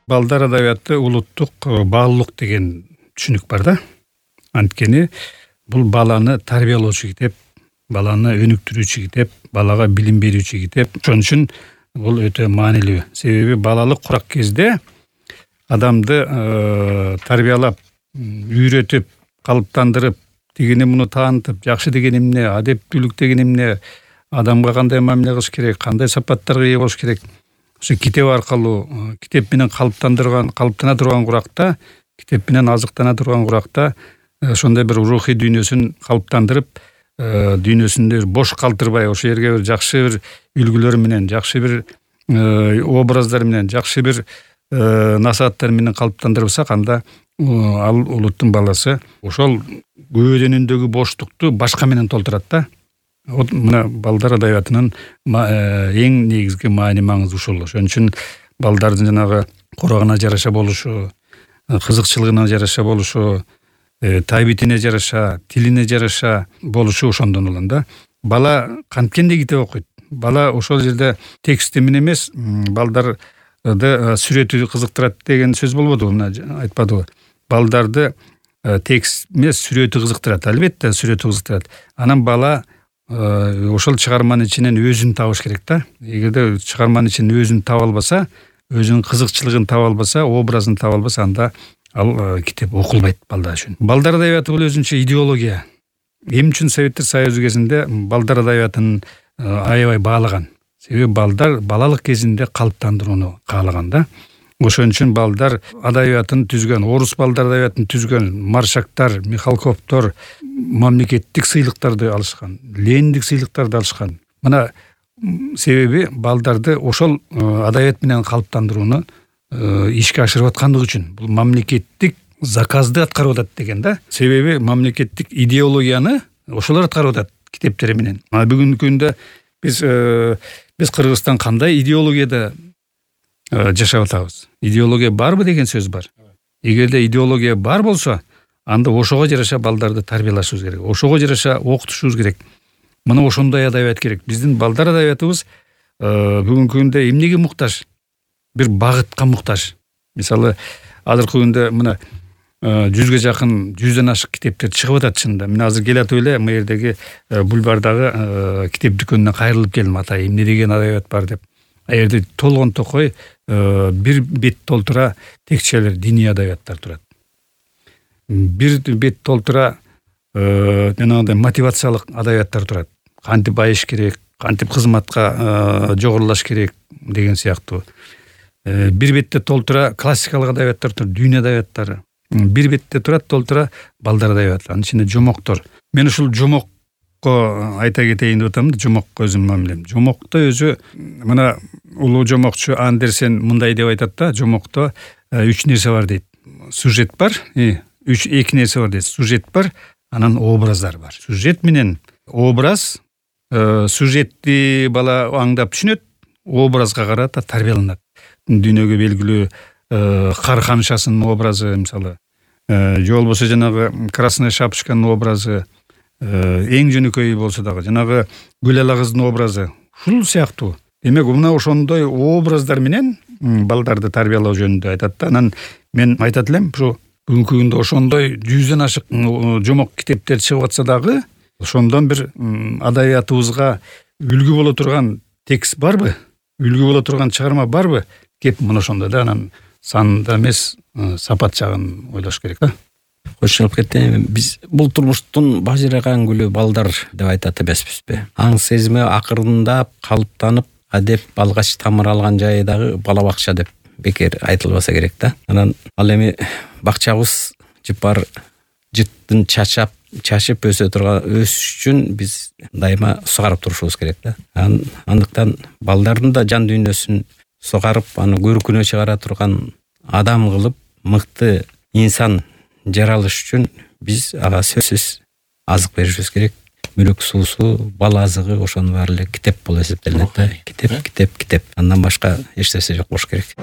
Балдар адабияты улуттук баалуулук деген түшүнүк бар да. Анткени бул баланы тарбиялоочу китеп, баланы өнүктүрүүчү китеп, балага билим берүүчү китеп. Ошон үчүн бул өтө маанилүү. Себеби балалык курак кезде адамды тарбиялап, үйрөтүп, калыптандырып, тигини муну таанытып, жакшы деген эмне, адептүүлүк деген эмне, адамга кандай мамиле кылыш керек, кандай сапаттарга ээ болуш керек. Ошо китеп аркылуу, китеп менен калыптана турган куракта, китеп менен азыктана турган куракта ошондой бир рухий дүйнөсүн калыптандырып, дүйнөсүндө бош калтырбай, ошол жерге бир жакшы бир үлгүлөр менен, жакшы бир образдар менен, жакшы бир насааттар менен калыптандырсак, анда ал улуттун баласы ошол көөдөнүндөгү боштукту башка менен толтурат да. Вот мына балдар адабиятынын эң негизги маани маңызы ушул. Ошон үчүн балдардын жанагы курагына жараша болушу, кызыкчылыгына жараша болушу, табитине жараша, тилине жараша болушу ошондон улам да. Бала канткенде китеп окуйт. Бала ошол жерде тексти менен эмес, балдарды сүрөтү кызыктырат деген сөз болбодубу, мына айтпадыбы? Балдарды текст эмес, сүрөтү кызыктырат. Албетте сүрөтү кызыктырат. Анан бала ошол чыгарманын ичинен өзүн табыш керек да. Эгерде чыгарманын ичинен өзүн таба албаса, өзүнүн кызыкчылыгын таба албаса, образын таба албаса, анда ал китеп окулбайт балдар үчүн. Балдар адабияты бул өзүнчө идеология. Эмне үчүн Советтер Союзу кезинде балдар адабиятын аябай баалаган? Себеби балдар балалык кезинде калыптандырууну каалаган да. Ошон үчүн балдар адабиятын түзгөн, орус балдар адабиятын түзгөн Маршактар, Михалковдор мамлекеттик сыйлыктарды алышкан, Лениндик сыйлыктарды алышкан. Мына себеби балдарды ошол адабият менен калыптандырууну ишке ашырып аткандыгы үчүн. Бул мамлекеттик заказды аткарып атат деген да. Себеби мамлекеттик идеологияны ошолор аткарып атат китептери менен. Бүгүнкү күндө биз Кыргызстан кандай идеологияда жашап атабыз? Идеология барбы деген сөз бар. Эгерде идеология бар болсо, анда ошого жараша балдарды тарбиялашыбыз керек. Ошого жараша окутушубуз керек. Мына ошондой адабият керек. Биздин балдар адабиятыбыз бүгүнкү күндө эмнеге муктаж? Бир багытка муктаж. Мисалы, азыркы күндө мына 100ге жакын, 100дөн ашык китептер чыгып атат чынында. Мен азыр келатып эле мына жердеги бульвардагы китеп дүкөнүнө кайрылып келдим. Ата, эмне деген адабият бар деп. Аерде толгон токой бир бет толтура текчелер, диний адабияттар турат. Бир бет толтура жанагындай мотивациялык адабияттар турат. Кантип байыш керек, кантип кызматка жогорулаш керек деген сыяктуу. Бир бетте толтура классикалык адабияттар турат, дүйнө адабияттары. Бир бетте турат толтура балдар адабияты. Анын ичинде жомоктор. Мен ушул жомокко айта кетейин деп атам да, жомокко өзүмдүн мамилем. Жомокто өзү мына улуу жомокчу Андерсен мындай деп айтат да, жомокто 3 нерсе бар дейт. Сюжет бар, эки нерсе бар дейт. Сюжет бар, анан образдар бар. Сюжет менен образ, сюжетти бала аңдап түшүнөт, образга карата тарбияланат. Дүйнөгө белгилүү кар камшасынын образы, мисалы, же болбосо жанагы Красная шапочканын образы, эң жөнөкөй болсо дагы жанагы Гүл ала кыздын образы, ушул сыяктуу. Демек, мына ошондой образдар менен балдарды тарбиялоо жөнүндө айтат да. Анан мен айтат элем, ушу бүгүнкү күндө ошондой 100дөн ашык жомок китептер чыгып атса дагы, ошондон бир адабиятыбызга үлгү боло турган текст барбы? Үлгү боло турган чыгарма барбы? Кеп мына ошондо да, анан санда эмес, сапат жагын ойлош керек да. Кошулуп кетти. Биз бул турмуштун бажыраган гүлү балдар деп айтат эмеспизби? Аң сезими акырындап калыптанып, адеп алгач тамыр алган жайы дагы бала бакча деп бекер айтылбаса керек да. Анан ал эми бакчабыз жыпар жыттын чачып өсүш үчүн биз дайыма сугарып турушубуз керек да. Андыктан балдардын да жан дүйнөсүн сугарып, аны көркүнө чыгара турган адам кылып, мыкты инсан жаралыш үчүн биз ага сөзсүз азык беришибиз керек. Мүлүк суусу, бала азыгы ошонун баары эле китеп болуп эсептелинет да. Китеп. Андан башка эч нерсе жок болуш керек.